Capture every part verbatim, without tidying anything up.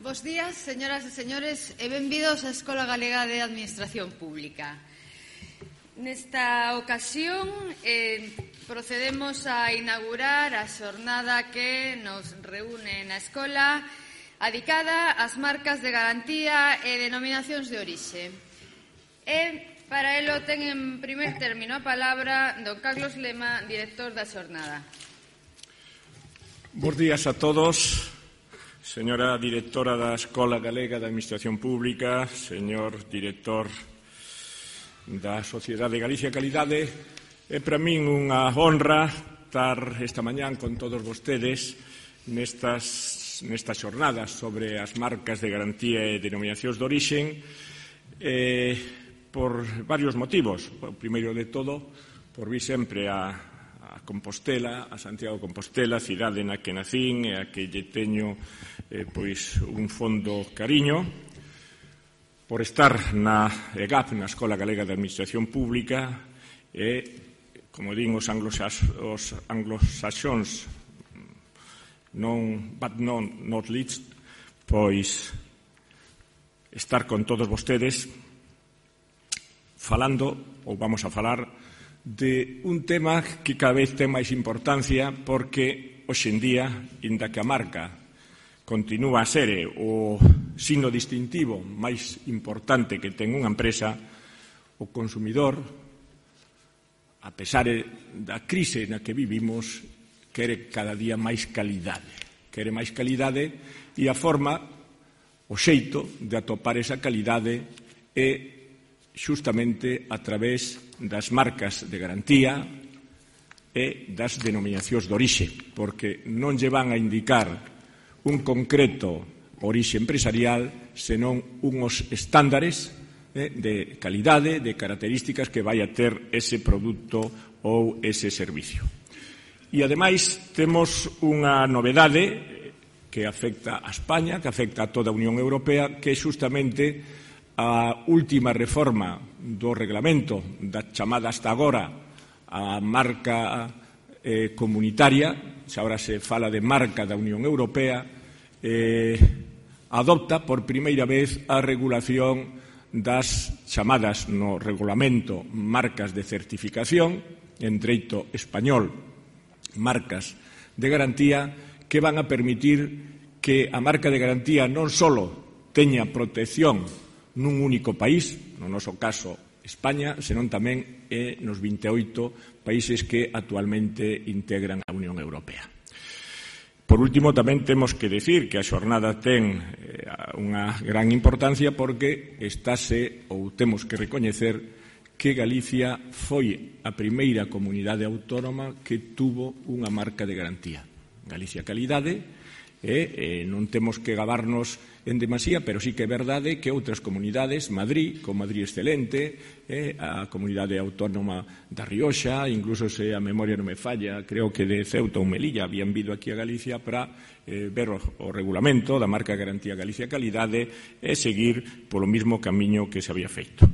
Bos días, señoras e señores, e benvidos á Escola Galega de Administración Pública. Nesta ocasión eh, procedemos a inaugurar a xornada que nos reúne na escola adicada ás marcas de garantía e denominacións de orixe. E para elo ten en primer término a palabra don Carlos Lema, director da xornada. Bos días a todos. Señora directora da Escola Galega de Administración Pública, señor director da Sociedade Galicia Calidade, é para min unha honra estar esta mañán con todos vostedes nestas, nestas xornadas sobre as marcas de garantía e denominacións de orixen eh, por varios motivos. O primeiro de todo, por vir sempre a a Compostela, a Santiago de Compostela, cidade na que nacín e a que lle teño eh, pois un fondo cariño, por estar na E G A P, na Escola Galega de Administración Pública, e, como din os, os anglosaxóns, non, but non, not least, pois estar con todos vostedes falando, ou vamos a falar, de un tema que cada vez ten máis importancia porque hoxe en día, inda que a marca continúa a ser o signo distintivo máis importante que ten unha empresa, o consumidor, a pesar da crise na que vivimos, quere cada día máis calidade. Quere máis calidade e a forma, o xeito de atopar esa calidade é xustamente a través das marcas de garantía e das denominacións de orixe, porque non lle van a indicar un concreto orixe empresarial, senón unhos estándares eh, de calidade, de características que vai a ter ese produto ou ese servicio. E, ademais, temos unha novedade que afecta a España, que afecta a toda a Unión Europea, que é xustamente a última reforma do reglamento da chamada hasta agora a marca eh, comunitaria, xa agora se fala de marca da Unión Europea, eh, adopta por primeira vez a regulación das chamadas no regulamento marcas de certificación, en dereito español, marcas de garantía, que van a permitir que a marca de garantía non só teña protección nun único país, no noso caso España, senón tamén é nos vinte e oito países que actualmente integran a Unión Europea. Por último, tamén temos que decir que a xornada ten eh, unha gran importancia porque estáse, ou temos que recoñecer, que Galicia foi a primeira comunidade autónoma que tuvo unha marca de garantía. Galicia Calidade, e eh, non temos que gabarnos en demasía, pero sí que é verdade que outras comunidades, Madrid, con Madrid Excelente, eh, a comunidade autónoma da Rioxa, incluso se a memoria non me falla, creo que de Ceuta ou Melilla habían vido aquí a Galicia para eh, ver o, o regulamento da marca Garantía Galicia Calidade e seguir polo mismo camiño que se había feito.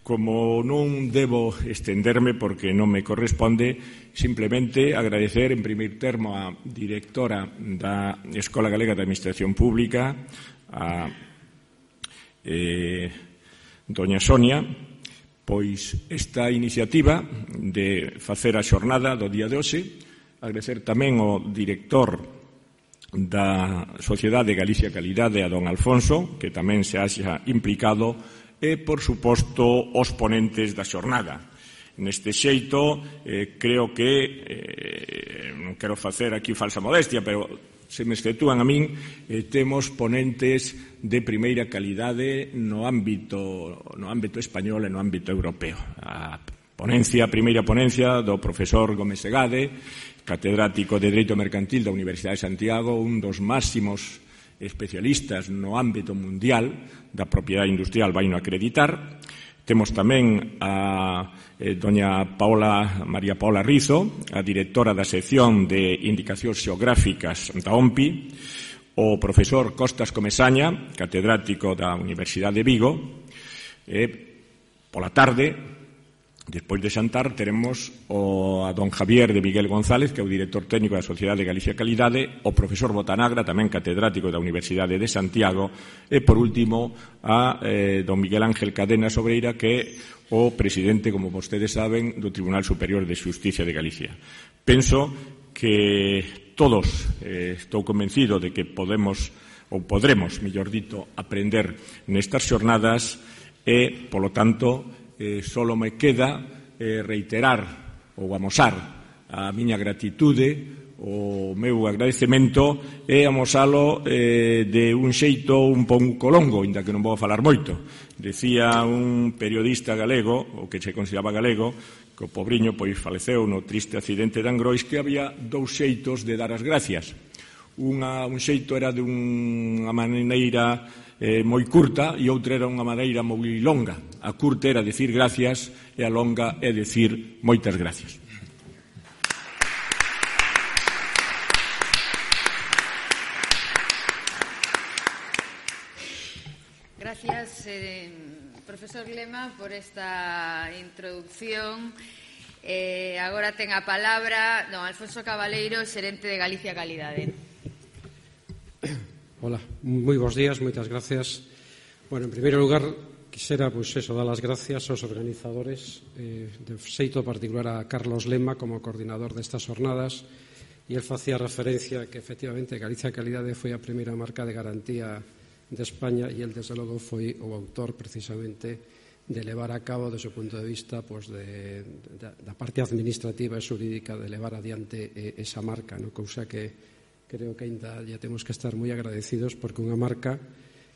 Como non debo estenderme porque non me corresponde, simplemente agradecer en primeiro termo a directora da Escola Galega de Administración Pública, a eh, doña Sonia, pois esta iniciativa de facer a xornada do día de hoxe, agradecer tamén ao director da Sociedade Galicia Calidade, a don Alfonso, que tamén se haxa implicado, e, por suposto, os ponentes da xornada. Neste xeito, eh, creo que, eh, non quero facer aquí falsa modestia, pero se me exceptúan a min, eh, temos ponentes de primeira calidade no ámbito, no ámbito español e no ámbito europeo. A ponencia, a primeira ponencia do profesor Gómez Segade, catedrático de Dereito Mercantil da Universidade de Santiago, un dos máximos especialistas no ámbito mundial da propiedade industrial, vai no acreditar. Temos tamén a eh, doña Paola, María Paola Rizo, a directora da sección de indicacións xeográficas da O M P I, o profesor Costas Comesaña, catedrático da Universidade de Vigo, e pola tarde Despois de xantar teremos o, a don Javier de Miguel González, que é o director técnico da Sociedade de Galicia Calidade, o profesor Botanagra, tamén catedrático da Universidade de Santiago, e, por último, a eh, don Miguel Ángel Cadena Sobreira, que é o presidente, como vostedes saben, do Tribunal Superior de Xusticia de Galicia. Penso que todos, eh, estou convencido de que podemos, ou podremos, mellor dito, aprender nestas xornadas e, polo tanto, Eh, solo me queda eh, reiterar ou amosar a miña gratitude, o meu agradecemento e amosalo eh, de un xeito un pouco longo, inda que non vou falar moito. Decía un periodista galego, o que se consideraba galego, que o pobriño pois faleceu no triste accidente de Angrois, que había dous xeitos de dar as gracias. Unha, un xeito era de unha maneira eh, moi curta e outra era unha maneira moi longa. A curta era decir gracias e a longa é decir moitas gracias. Gracias, eh, profesor Lema, por esta introducción. Eh, agora ten a palabra don Alfonso Cabaleiro, xerente de Galicia Calidade. Hola, moi bons días, moitas gracias. Bueno, en primeiro lugar, quixera, pois, eso, dar as gracias aos organizadores, eh, de xeito particular a Carlos Lema como coordinador destas jornadas, e el facía referencia que, efectivamente, Galicia Calidade foi a primeira marca de garantía de España e el, desde logo, foi o autor, precisamente, de levar a cabo, desde o punto de vista, pois, de, de, da parte administrativa e xurídica, de levar adiante eh, esa marca, no? Cousa que creo que ainda ya temos que estar moi agradecidos, porque unha marca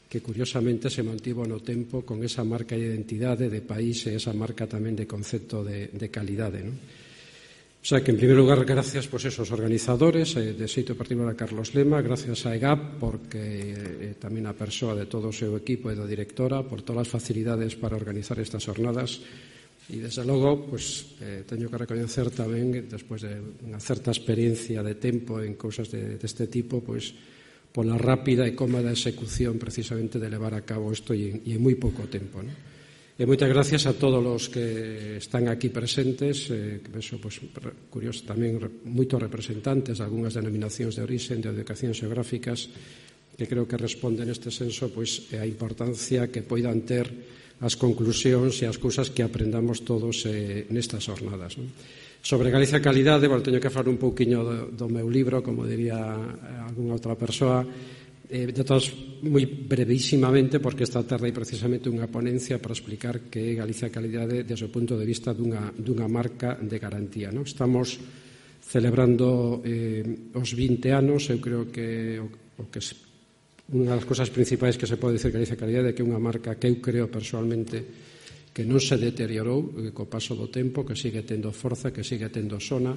que curiosamente se mantivo no tempo con esa marca de identidade de país e esa marca tamén de concepto de, de calidade, non? O sea que, en primeiro lugar, gracias pois, esos organizadores, eh, de xeito particular a Carlos Lema, gracias a E G A P, porque eh, tamén a persoa de todo o seu equipo e da directora, por todas as facilidades para organizar estas jornadas. E, desde logo, pues, eh, teño que recoñecer tamén, despois de unha certa experiencia de tempo en cousas de, deste tipo, pois, pola rápida e cómoda execución, precisamente, de levar a cabo isto e en, e en moi pouco tempo, ¿no? E moitas gracias a todos os que están aquí presentes, eh, que penso, pues, curioso, tamén moitos representantes de algunhas denominacións de orixen, de educacións xeográficas, que creo que responden neste senso, pois, a importancia que poidan ter as conclusións e as cousas que aprendamos todos eh, nestas jornadas, non? Sobre Galicia Calidade, bueno, teño que falar un pouquiño do, do meu libro, como diría algunha outra persoa, eh, de todos, moi brevísimamente, porque esta tarde hai precisamente unha ponencia para explicar que é Galicia Calidade desde o punto de vista dunha, dunha marca de garantía, non? Estamos celebrando eh, os vinte anos, eu creo que o, o que se unha das cousas principais que se pode dicir que Galicia Calidade é que é unha marca que eu creo persoalmente que non se deteriorou eh, co paso do tempo, que sigue tendo forza, que sigue tendo sona.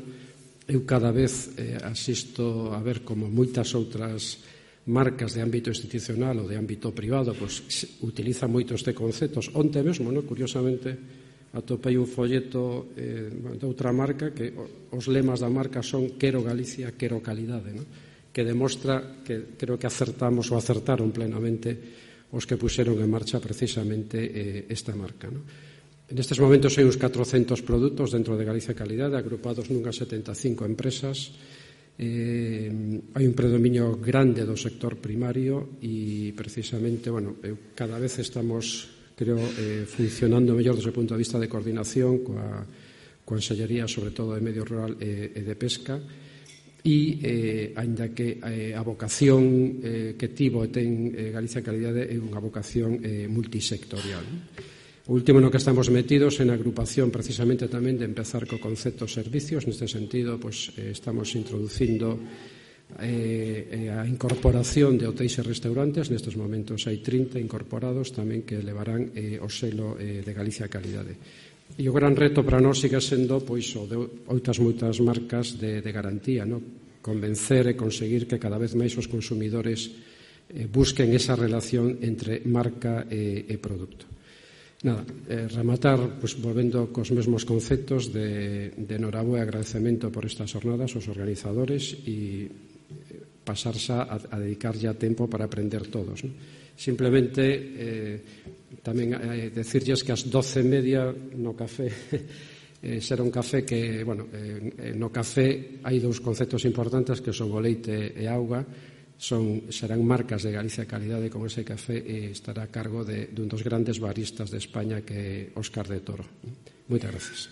Eu cada vez eh, asisto a ver como moitas outras marcas de ámbito institucional ou de ámbito privado pois, utilizan moito este conceptos. Onte mesmo, no? Curiosamente, atopei un folleto eh, de outra marca que os lemas da marca son quero Galicia, quero calidade, no? Que demostra que creo que acertamos ou acertaron plenamente os que puxeron en marcha precisamente eh, esta marca, no? En estes momentos hai uns catrocentos produtos dentro de Galicia Calidade, agrupados nunhas setenta e cinco empresas. Eh, hai un predominio grande do sector primario e precisamente, bueno, eu, cada vez estamos, creo, eh, funcionando mellor desde o punto de vista de coordinación coa Consellería, sobre todo de Medio Rural e, e de Pesca. E, eh, ainda que eh, a vocación eh, que tivo e ten eh, Galicia Calidade é unha vocación eh, multisectorial. O último no que estamos metidos en agrupación precisamente tamén de empezar co concepto servicios. Neste sentido, pois, eh, estamos introducindo eh, a incorporación de hotéis e restaurantes. Nestes momentos hai trinta incorporados tamén que levarán eh, o selo eh, de Galicia Calidade. E o gran reto para nós sigue sendo pois, o de outras moitas marcas de, de garantía, no? Convencer e conseguir que cada vez máis os consumidores eh, busquen esa relación entre marca e, e produto. Nada, eh, rematar pues, volvendo cos mesmos conceptos de, de enhorabué e agradecemento por estas jornadas aos organizadores e pasarse a, a dedicar ya tempo para aprender todos, ¿no? Simplemente eh, tamén eh, decirlles que as doce e media no café eh, será un café que, bueno, eh, no café hai dous conceptos importantes que son o leite e auga. Son, serán marcas de Galicia de calidade con ese café e estará a cargo de, de un dos grandes baristas de España que é Óscar de Toro. Moitas gracias.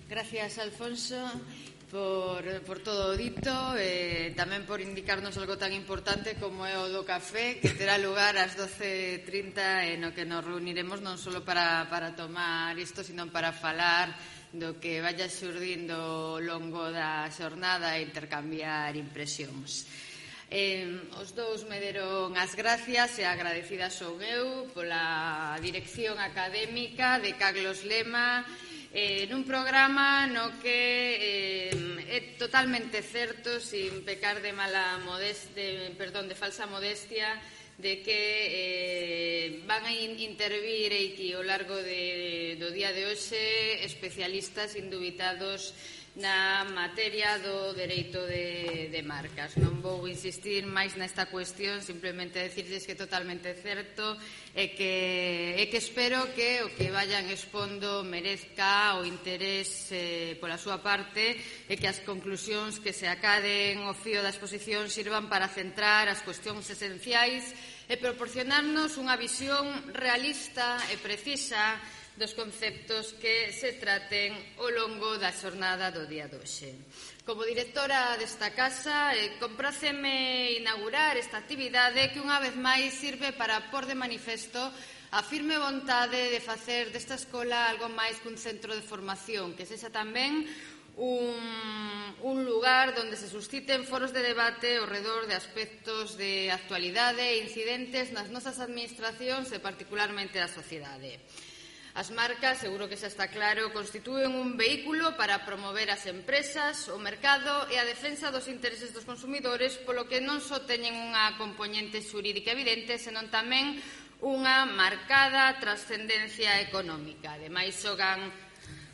Gracias, Alfonso, por, por todo o dito e tamén por indicarnos algo tan importante como é o do café, que terá lugar ás doce e trinta e no que nos reuniremos non só para, para tomar isto, sino para falar do que vaya xurdindo ao longo da xornada e intercambiar impresións. Eh, os dous me deron as gracias e agradecida son eu pola dirección académica de Carlos Lema, Eh, nun programa no que eh, é totalmente certo, sin pecar de mala modestia, perdón, de falsa modestia, de que eh, van a intervir aquí ao largo de, do día de hoxe especialistas indubitados na materia do dereito de, de marcas. Non vou insistir máis nesta cuestión, simplemente decirles que é totalmente certo e que, e que espero que o que vayan expondo merezca o interés eh, pola súa parte e que as conclusións que se acaden ao fío da exposición sirvan para centrar as cuestións esenciais e proporcionarnos unha visión realista e precisa dos conceptos que se traten ao longo da xornada do día de hoxe. Como directora desta casa, eh, compráceme inaugurar esta actividade que unha vez máis sirve para pôr de manifesto a firme vontade de facer desta escola algo máis que un centro de formación, que sexa tamén un, un lugar onde se susciten foros de debate ao redor de aspectos de actualidade e incidentes nas nosas administracións e particularmente da sociedade. As marcas, seguro que xa está claro, constitúen un vehículo para promover as empresas, o mercado e a defensa dos intereses dos consumidores, polo que non só teñen unha componente xurídica evidente, senón tamén unha marcada trascendencia económica. Ademais, xogan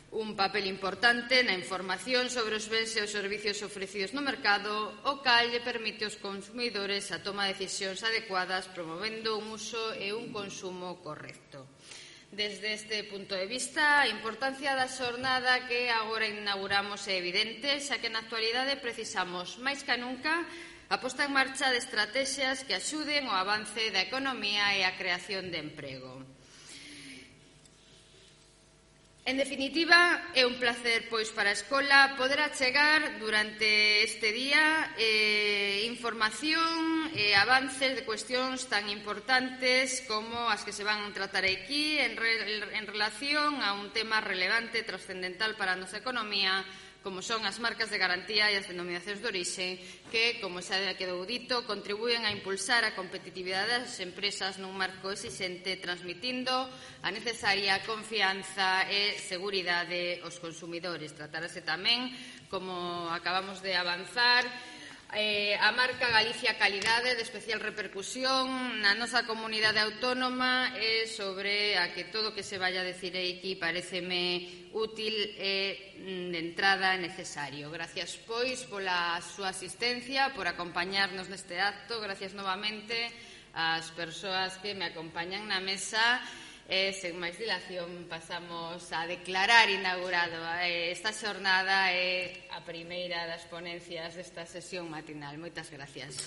un papel importante na información sobre os bens e os servicios ofrecidos no mercado, o cal lle permite aos consumidores a toma de decisións adecuadas, promovendo un uso e un consumo correcto. Desde este punto de vista, a importancia da xornada que agora inauguramos é evidente, xa que na actualidade precisamos, máis que nunca, a posta en marcha de estrategias que axuden ao avance da economía e a creación de emprego. En definitiva, é un placer, pois, para a escola poder achegar durante este día eh, información e avances de cuestións tan importantes como as que se van a tratar aquí en, re, en relación a un tema relevante e trascendental para a nosa economía, como son as marcas de garantía e as denominacións de orixe, que, como xa quedou dito, contribúen a impulsar a competitividade das empresas nun marco exixente, transmitindo a necesaria confianza e seguridade aos consumidores. Tratarase tamén, como acabamos de avanzar, Eh, a marca Galicia Calidade de especial repercusión na nosa comunidade autónoma e sobre a que todo o que se vaya a decir aquí pareceme útil e de entrada necesario. Gracias, pois, pola súa asistencia, por acompañarnos neste acto. Gracias novamente ás persoas que me acompañan na mesa. E, sen máis dilación, pasamos a declarar inaugurado esta xornada e a primeira das ponencias desta sesión matinal. Moitas gracias.